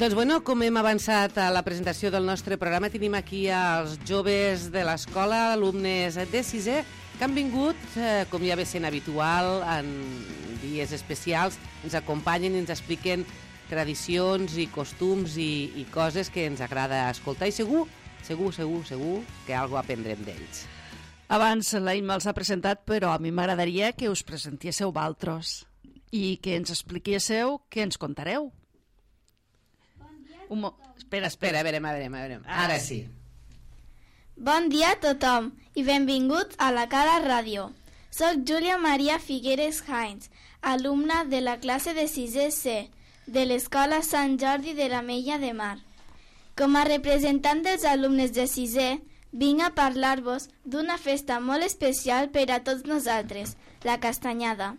Doncs bueno, com hem avançat a la presentació del nostre programa, tenim aquí els joves de l'escola, alumnes de sisè, que han vingut, com ja ve sent habitual, en dies especials, ens acompanyen i ens expliquen tradicions i costums i coses que ens agrada escoltar i segur que alguna aprendrem d'ells. Abans la Imma els ha presentat, però a mi m'agradaria que us presentéssiu valtros i que ens expliquéssiu què ens contareu. Espera, a veure. Ara sí. Bon dia a tothom i benvinguts a la Cala Ràdio. Soc Júlia Maria Figueres Hines, alumna de la classe de 6è C de l'Escola Sant Jordi de l'Ametlla de Mar. Com a representant dels alumnes de 6è, vinc a parlar-vos d'una festa molt especial per a tots nosaltres, la Castanyada.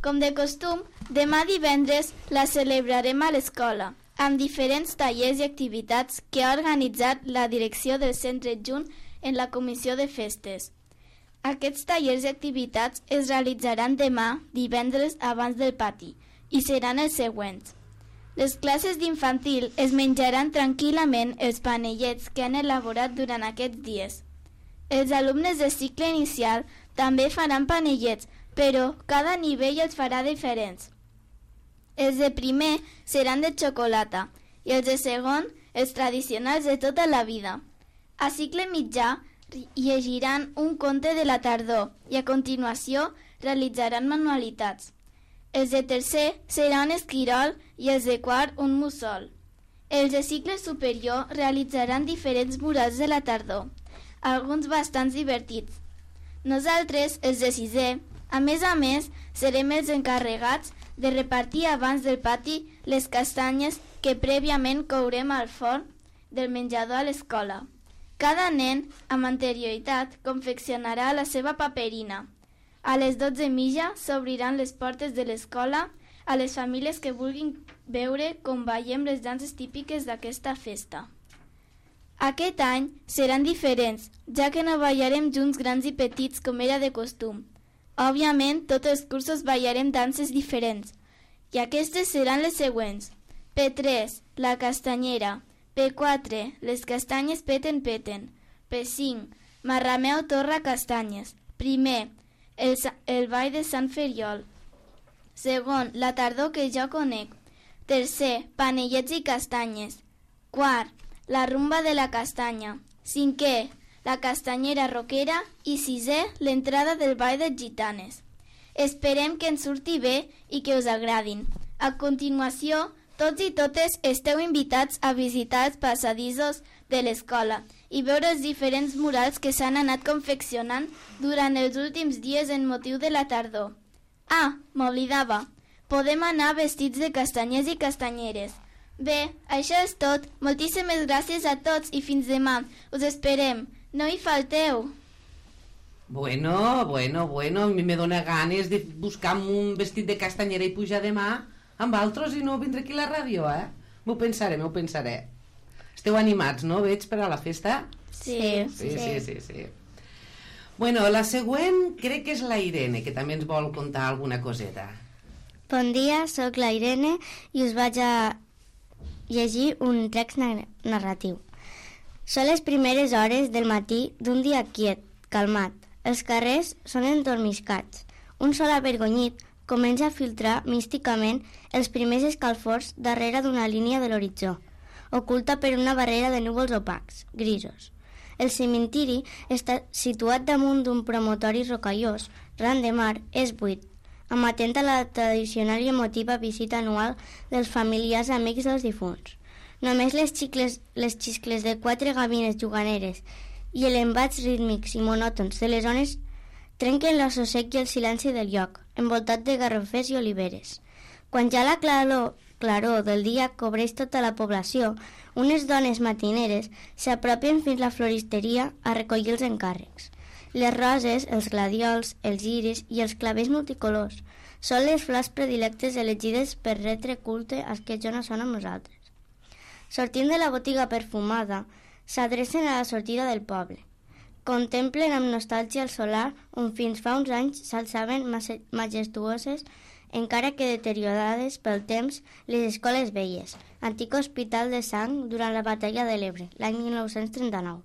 Com de costum, demà divendres la celebrarem a l'escola, amb diferents tallers i activitats que ha organitzat la direcció del centre adjunt en la comissió de festes. Aquests tallers i activitats es realitzaran demà, divendres, abans del pati, i seran els següents. Les classes d'infantil es menjaran tranquil·lament els panellets que han elaborat durant aquests dies. Els alumnes de cicle inicial també faran panellets, però cada nivell els farà diferents. Els de primer seran de xocolata i els de segon els tradicionals de tota la vida. A cicle mitjà llegiran un conte de la tardor i a continuació realitzaran manualitats. Els de tercer serà un esquirol i els de quart un mussol. Els de cicle superior realitzaran diferents murals de la tardor, alguns bastants divertits. Nosaltres, els de sisè, a més, serem els encarregats de repartir abans del pati les castanyes que prèviament courem al forn del menjador a l'escola. Cada nen, amb anterioritat, confeccionarà la seva paperina. A les 12:30 s'obriran les portes de l'escola a les famílies que vulguin veure com ballem les danses típiques d'aquesta festa. Aquest any seran diferents, ja que no ballarem junts grans i petits com era de costum. Òbviament, tots els cursos ballarem danses diferents, i aquestes seran les següents. P3, la castanyera. P4, les castanyes peten. P5, marrameu torra castanyes. Primer, el ball de Sant Feriol. Segon, la tardor que jo conec. Tercer, panellets i castanyes. Quart, la rumba de la castanya. Cinquè, la castanyera roquera i sisè, l'entrada del ball de gitanes. Esperem que ens surti bé i que us agradin. A continuació, tots i totes esteu invitats a visitar els passadissos de l'escola i veure els diferents murals que s'han anat confeccionant durant els últims dies en motiu de la tardor. Ah, m'oblidava. Podem anar vestits de castanyers i castanyeres. Bé, això és tot. Moltíssimes gràcies a tots i fins demà. Us esperem. No hi falteu. Bueno, a mi me dóna ganes de buscar un vestit de castanyera i pujar demà amb altres i no vindré aquí a la ràdio, eh? M'ho pensaré. Esteu animats, no? Veig per a la festa? Sí. Bueno, la següent crec que és la Irene, que també ens vol contar alguna coseta. Bon dia, sóc la Irene i us vaig a llegir un text narratiu. Són les primeres hores del matí d'un dia quiet, calmat. Els carrers són endormiscats. Un sol avergonyit comença a filtrar místicament els primers escalfors darrere d'una línia de l'horitzó, oculta per una barrera de núvols opacs, grisos. El cementiri està situat damunt d'un promontori rocallós, ran de mar, és buit, amatent a la tradicional i emotiva visita anual dels familiars amics dels difunts. Només les xiscles de 4 gavines juganeres i els embats rítmics i monòtons de les ones trenquen l'assosseig i el silenci del lloc, envoltat de garrofers i oliveres. Quan ja la claror del dia cobreix tota la població, unes dones matineres s'apropen fins a la floristeria a recollir els encàrrecs. Les roses, els gladiols, els lliris i els clavers multicolors són les flors predilectes elegides per retre culte als que ja no són amb nosaltres. Sortint de la botiga perfumada, s'adrecen a la sortida del poble. Contemplen amb nostàlgia el solar on fins fa uns anys s'alçaven majestuoses encara que deteriorades pel temps, les escoles velles, antic hospital de sang durant la batalla de l'Ebre, l'any 1939.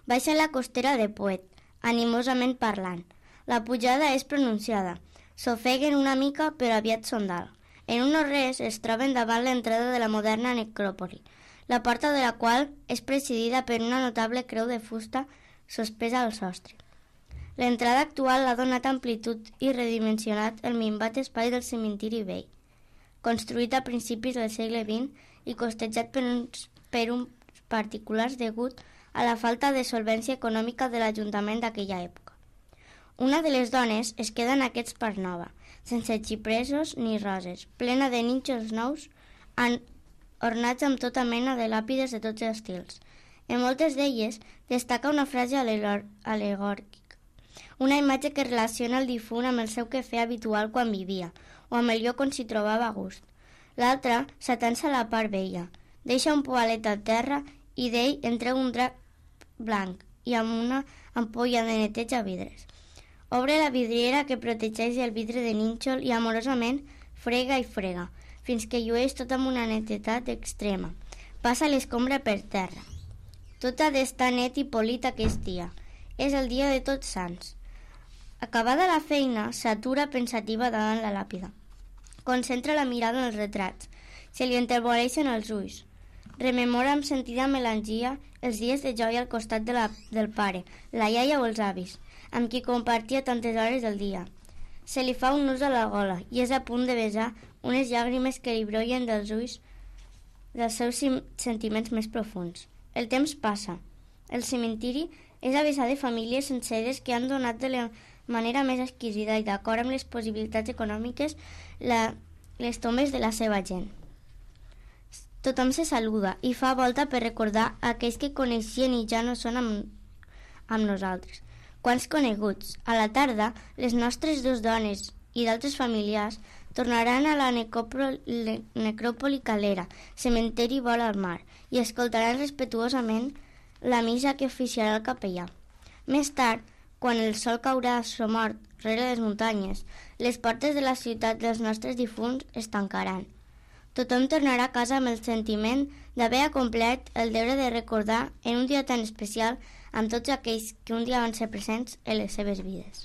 Baixa la costera de Poet, animosament parlant. La pujada és pronunciada. S'ofeguen una mica, però aviat són dalt. En un no res es troben davant l'entrada de la moderna necròpoli, la porta de la qual és presidida per una notable creu de fusta sospesa al sostre. L'entrada actual ha donat amplitud i redimensionat el minvat espai del cementiri vell, construït a principis del segle XX i costejat per uns particulars degut a la falta de solvència econòmica de l'Ajuntament d'aquella època. Una de les dones es queda en aquest parc nova, sense xipresos ni roses, plena de nínxols nous, ornats amb tota mena de làpides de tots els estils. En moltes d'elles destaca una frase alegòrica, una imatge que relaciona el difunt amb el seu quefer habitual quan vivia, o amb el lloc on s'hi trobava a gust. L'altra s'atansa a la part vella, deixa un poalet a terra i d'ell en treu un drac blanc i amb una ampolla de neteja vidres. Obre la vidriera que protegeix el vidre de nínxol i amorosament frega i frega, fins que llueix tot amb una netedat extrema. Passa l'escombra per terra. Tot ha d'estar net i polit aquest dia. És el dia de Tots Sants. Acabada la feina, s'atura pensativa davant la làpida. Concentra la mirada en els retrats. Se li enterboleixen els ulls. Rememora amb sentida melangia els dies de joia al costat del pare, la iaia o els avis, amb qui compartia tantes hores del dia. Se li fa un nus a la gola i és a punt de besar unes llàgrimes que li brollen dels ulls dels seus sentiments més profuns. El temps passa. El cementiri és a vessar de famílies senceres que han donat de la manera més exquisida i d'acord amb les possibilitats econòmiques les tombes de la seva gent. Tothom se saluda i fa volta per recordar aquells que coneixien i ja no són amb nosaltres. Quants coneguts! A la tarda, les nostres dues dones i d'altres familiars tornaran a la necròpoli Calera, cementeri vora al mar, i escoltaran respetuosament la missa que oficiarà el capellà. Més tard, quan el sol caurà somort rere les muntanyes, les portes de la ciutat dels nostres difunts es tancaran. Tothom tornarà a casa amb el sentiment d'haver acomplert el deure de recordar en un dia tan especial amb tots aquells que un dia van ser presents en les seves vides.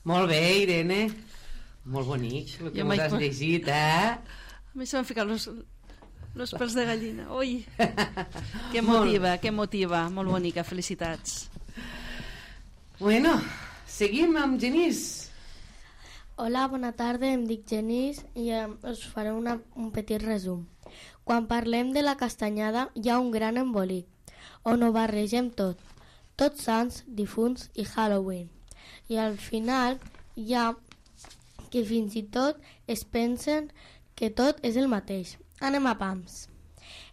Molt bé, Irene. Molt bonic el que m'ho has llegit, A mi se m'han ficat los pèls de gallina. Ui! Que motiva. Molt bonica, felicitats. Bueno, seguim amb Genís. Hola, bona tarda, em dic Genís i us faré un petit resum. Quan parlem de la castanyada hi ha un gran embolic, on ho barregem tot, Tots Sants, difunts i Halloween. I al final hi ha que fins i tot es pensen que tot és el mateix. Anem a pams.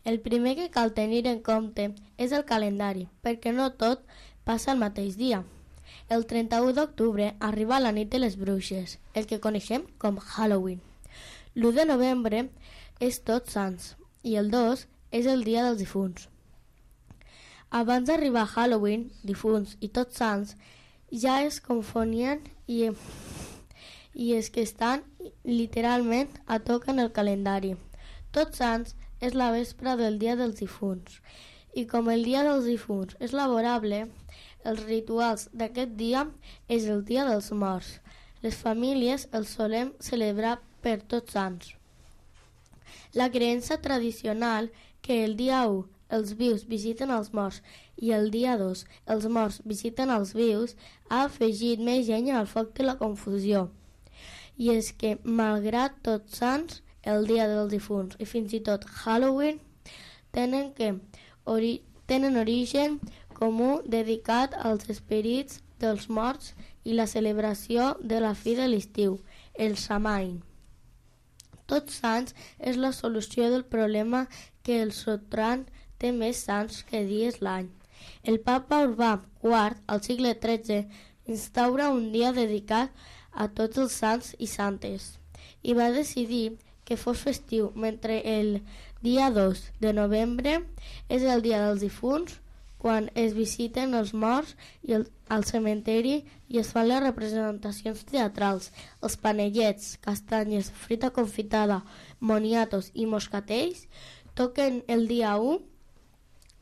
El primer que cal tenir en compte és el calendari, perquè no tot passa el mateix dia. El 31 d'octubre arriba la nit de les bruixes, el que coneixem com Halloween. L'1 de novembre és Tots Sants i el 2 és el dia dels difunts. Abans d'arribar a Halloween, difunts i Tots Sants ja es confonien i és que estan literalment a toc en el calendari. Tots Sants és la vespra del dia dels difunts i com el dia dels difunts és laborable, els rituals d'aquest dia és el dia dels morts. Les famílies els solem celebrar per Tots Sants. La creença tradicional que el dia 1 els vius visiten els morts i el dia 2 els morts visiten els vius ha afegit més llenya al foc de la confusió. I és que, malgrat Tots Sants, el dia dels difunts i fins i tot Halloween, tenen origen comú dedicat als esperits dels morts i la celebració de la fi de l'estiu, el Samain. Tots Sants és la solució del problema que el Sotran té més sants que dies l'any. El papa Urbà IV, al segle XIII, instaura un dia dedicat a tots els sants i santes i va decidir que fos festiu, mentre el dia 2 de novembre és el dia dels difunts, quan es visiten els morts i al cementeri i es fan les representacions teatrals. Els panellets, castanyes, fruita confitada, moniatos i moscatells toquen el dia 1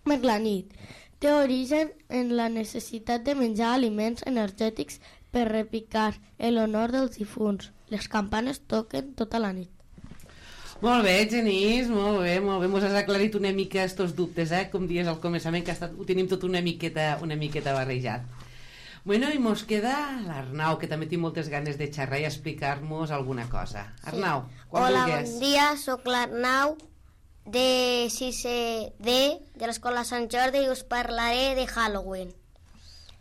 per la nit. Té origen en la necessitat de menjar aliments energètics per repicar en l'honor dels difunts. Les campanes toquen tota la nit. Molt bé, Genís, molt bé. Mos has aclarit una mica estos dubtes, com dies al començament, que ho tenim tot una miqueta barrejat. Bueno, i mos queda l'Arnau, que també tinc moltes ganes de xerrar i explicar-nos alguna cosa. Arnau, quan Hola, vulguis. bon dia, sóc l'Arnau de 6è D de l'Escola Sant Jordi i us parlaré de Halloween.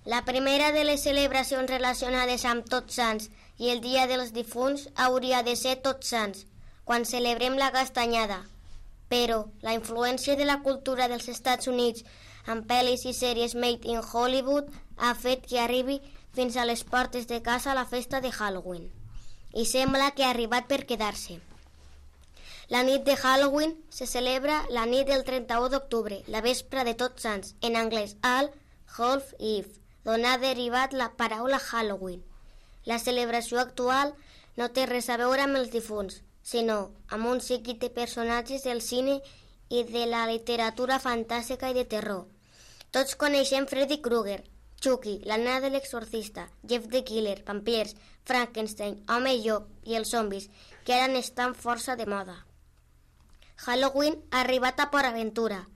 La primera de les celebracions relacionades amb Tots Sants i el Dia dels Difunts hauria de ser Tots Sants, quan celebrem la castanyada. Però la influència de la cultura dels Estats Units amb pel·lis i sèries made in Hollywood ha fet que arribi fins a les portes de casa la festa de Halloween. I sembla que ha arribat per quedar-se. La nit de Halloween se celebra la nit del 31 d'octubre, la vespra de Tots Sants, en anglès All Hallows Eve, d'on ha derivat la paraula Halloween. La celebració actual no té res a veure amb els difunts, sinó amb un seguit de personatges del cine i de la literatura fantàstica i de terror. Tots coneixem Freddy Krueger, Chucky, la nena de l'exorcista, Jeff the Killer, vampirs, Frankenstein, home llop i els zombis, que ara estan força de moda. Halloween ha arribat a Port Aventura,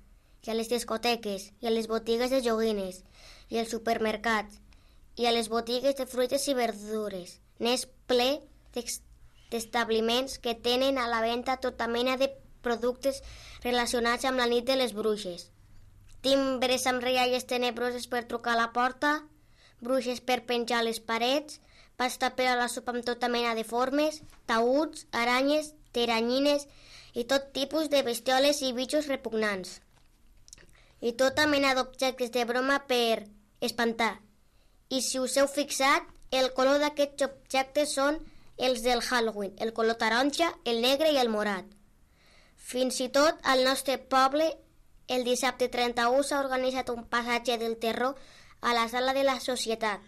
i a les discoteques, i a les botigues de joguines, i als supermercats, i a les botigues de fruites i verdures. N'és ple d'establiments que tenen a la venda tota mena de productes relacionats amb la nit de les bruixes. Timbres amb rialles tenebroses per trucar a la porta, bruixes per penjar a les parets, pasta per a la sopa amb tota mena de formes, taüts, aranyes, teranyines i tot tipus de bestioles i bitxos repugnants. I tota mena d'objectes de broma per espantar. I si us heu fixat, el color d'aquests objectes són els del Halloween, el color taronja, el negre i el morat. Fins i tot al nostre poble, el dissabte 31 s'ha organitzat un passatge del terror a la sala de la Societat.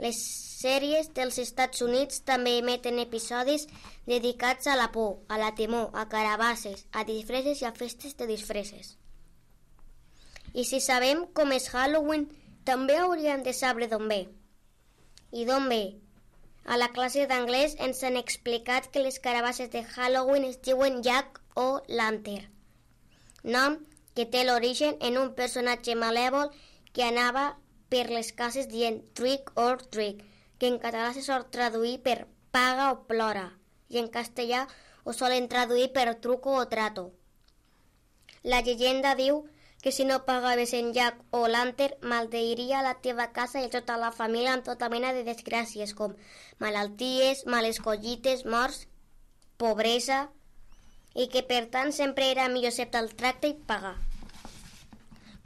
Les sèries dels Estats Units també emeten episodis dedicats a la por, a la temor, a carabasses, a disfresses i a festes de disfresses. I si sabem com és Halloween, també hauríem de saber d'on ve. I d'on ve? A la classe d'anglès ens han explicat que les carabasses de Halloween es diuen Jack o Lantern, nom que té l'origen en un personatge malèvol que anava per les cases dient trick or treat, que en català se sol traduir per paga o plora, i en castellà ho solen traduir per truco o trato. La llegenda diu que si no pagaves en Jack o Lantern, maldeiria la teva casa i tota la família amb tota mena de desgràcies, com malalties, males collites, morts, pobresa, i que per tant sempre era millor acceptar el tracte i pagar.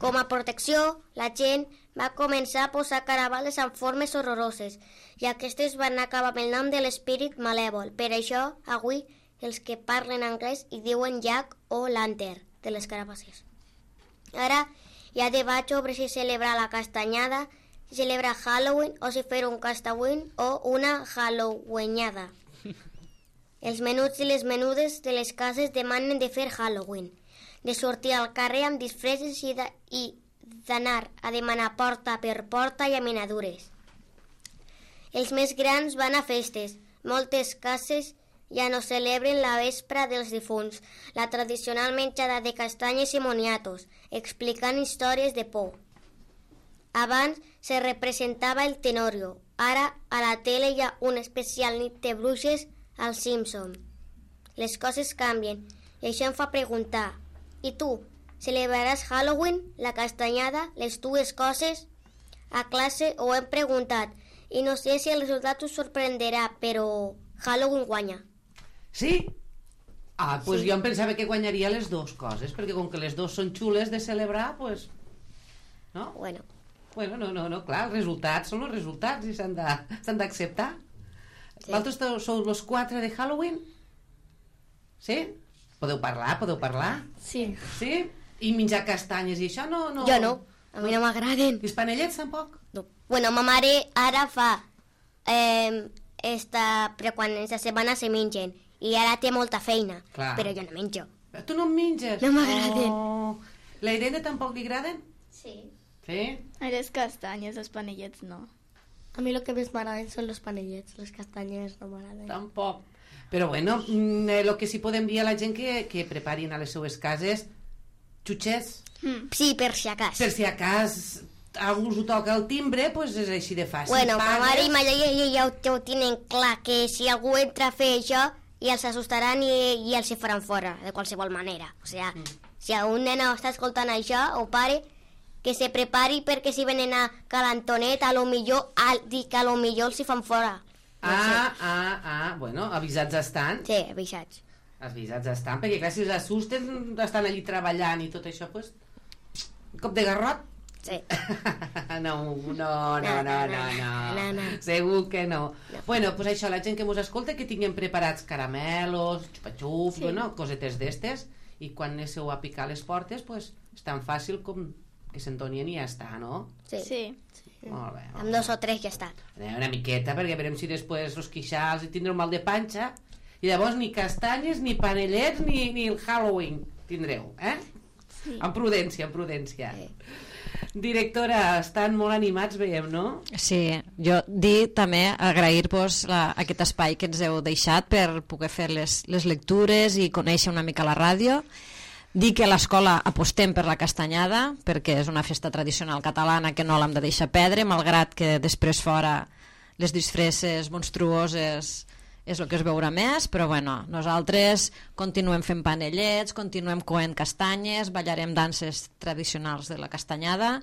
Com a protecció, la gent va començar a posar carabales amb formes horroroses i aquestes van acabar amb el nom de l'espírit malèvol. Per això, avui, els que parlen anglès hi diuen Jack o Lantern de les carabasses. Ara hi ha debat sobre si celebrar la castanyada, si celebrar Halloween o si fer un castawin o una Halloweenada. Els menuts i les menudes de les cases demanen de fer Halloween, de sortir al carrer amb disfresses i d'anar a demanar porta per porta i aminadures. Els més grans van a festes. Moltes cases ja no celebren la vespra dels difunts, la tradicional menjada de castanyes i moniatos, explicant històries de por. Abans se representava el Tenorio. Ara a la tele hi ha una especial nit de bruixes als Simpson. Les coses canvien i això em fa preguntar: i tu, celebraràs Halloween, la castanyada, les dues coses? A classe ho hem preguntat i no sé si el resultat us sorprenderà, però Halloween guanya. Sí? Ah, doncs sí. Jo em pensava que guanyaria les dues coses, perquè com que les dues són xules de celebrar, doncs... No? Bueno, no, clar, els resultats són els resultats i s'han d'acceptar. Sí. Vosaltres sou els 4 de Halloween? Sí? Podeu parlar? Sí. Sí? I menjar castanyes i això no... Jo no. A mi no m'agraden. I els panellets tampoc? No. Bueno, ma mare ara fa... però quan és la setmana se mengen. I ara té molta feina. Clar. Però jo no menjo. Tu no en menges? No m'agraden. Oh. La Irene tampoc li agraden? Sí. Sí? A les castanyes, els panellets no. A mi el que més m'agraden són els panellets, les castanyes no m'agraden. Tampoc. Però bueno, el que sí podem dir a la gent que preparin a les seues cases xutxets. Sí, per si acas. Per si a cas algú us ho toca el timbre, doncs és així de fàcil. Bueno, ma mare i ma Pagues. iaia ja ho tenen clar, que si algú entra a fer això, i els assustaran i els hi faran fora, de qualsevol manera. O sigui, si un nen està escoltant això, o pare, que se prepari perquè si venen a Calantonet, a lo millor els hi fan fora. Bueno, avisats estan. Sí, avisats. Avisats estan, perquè clar, si els assusten, estan allí treballant i tot això, doncs... Un cop de garrot? Sí. No. No. Segur que no. Bueno, doncs això, la gent que mos escolta, que tinguem preparats caramelos, xupa-xups, bueno, cosetes d'estes, i quan anéssiu a picar les portes, doncs és tan fàcil com que s'entonien i ja està, no? Sí. Molt bé. Amb 2 o 3 ja està. Una miqueta, perquè veurem si després els quixals i tindreu mal de panxa, i llavors ni castanyes, ni panellets, ni el Halloween tindreu, eh? Sí. Amb prudència. Sí. Directora, estan molt animats, veiem, no? Sí, jo dir també agrair-vos aquest espai que ens heu deixat per poder fer les lectures i conèixer una mica la ràdio. Dir que a l'escola apostem per la castanyada, perquè és una festa tradicional catalana que no l'hem de deixar perdre, malgrat que després fora les disfresses monstruoses és el que es veurà més, però bueno, nosaltres continuem fent panellets, continuem coent castanyes, ballarem danses tradicionals de la castanyada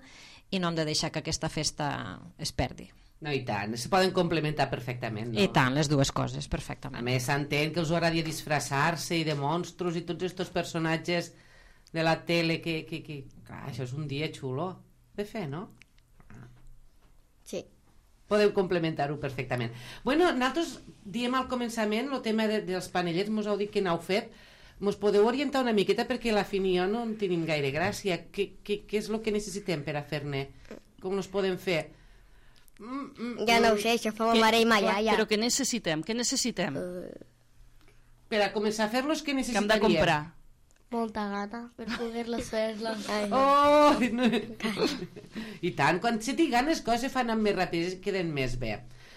i no hem de deixar que aquesta festa es perdi. No, i tant, se poden complementar perfectament, no? I tant, les dues coses, A perfectament. més, s'entén que us agradaria disfressar-se i de monstros i tots aquests personatges de la tele que... Clar, això és un dia xulo de fer, no? Sí. Podeu complementar-ho perfectament. Bueno, nosaltres diem al començament el tema dels panellets, mos heu dit que n'heu fet. Mos podeu orientar una miqueta perquè la Fini i jo no en tenim gaire gràcia. Què és el que necessitem per a fer-ne? Com nos podem fer? Ja no ho sé, això fa ma mare i ma iaia. Però què necessitem? Per a començar a fer-los, què Que hem necessitaríem? de comprar? Molta gana per poder-les fer-les. Oh! No. I tant, quan se tinguin les coses se fan amb més ràpides i queden més bé.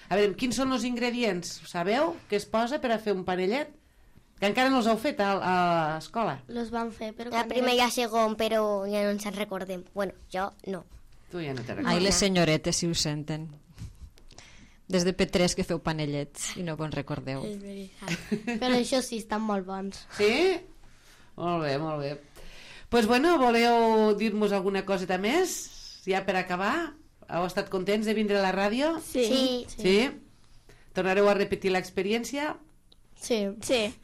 A veure, quins són els ingredients? Sabeu què es posa per a fer un panellet? Que encara no els heu fet a l'escola. Los van fer, però... La primer i la segon, però ja no ens en recordem. Bueno, jo no. Tu ja no te Ai, recordes. les senyoretes, si ho senten. Des de P3 que feu panellets i no vos recordeu. És veritat. Però això sí, estan molt bons. Sí? Molt bé, molt bé. Doncs bueno, voleu dir-nos alguna coseta més? Ja per acabar? Heu estat contents de vindre a la ràdio? Sí. Sí? Tornareu a repetir l'experiència? Sí.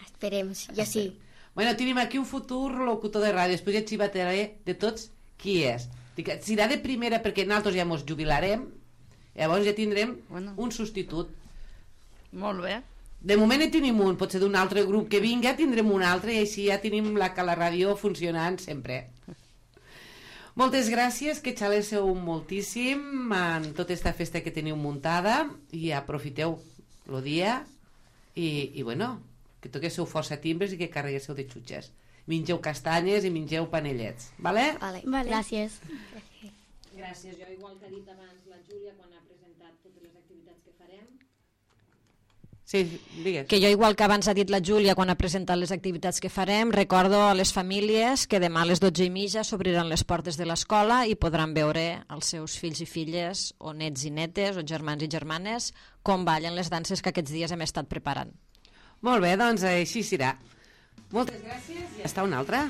Esperem, jo sí. Bueno, tenim aquí un futur locutor de ràdio, després ja xivataré de tots qui és. Dic, serà de primera perquè nosaltres ja mos jubilarem, llavors ja tindrem un substitut. Molt bé. De moment en tenim un, potser d'un altre grup que vinga tindrem un altre i així ja tenim la ràdio funcionant sempre. Moltes gràcies, que xaléssiu moltíssim en tota aquesta festa que teniu muntada i aprofiteu el dia i bueno, que toquéssiu força timbres i que carreguéssiu de xutxes. Mengeu castanyes i mengeu panellets, vale? Vale. Gràcies. Gràcies. Jo, igual que ha dit abans la Júlia quan ha presentat totes les activitats que farem, Sí, digues. que jo, igual que abans ha dit la Júlia quan ha presentat les activitats que farem, recordo a les famílies que demà a les 12:30 s'obriran les portes de l'escola i podran veure els seus fills i filles, o nets i netes, o germans i germanes, com ballen les danses que aquests dies hem estat preparant. Molt bé, doncs així serà. Moltes gràcies i hasta una altra.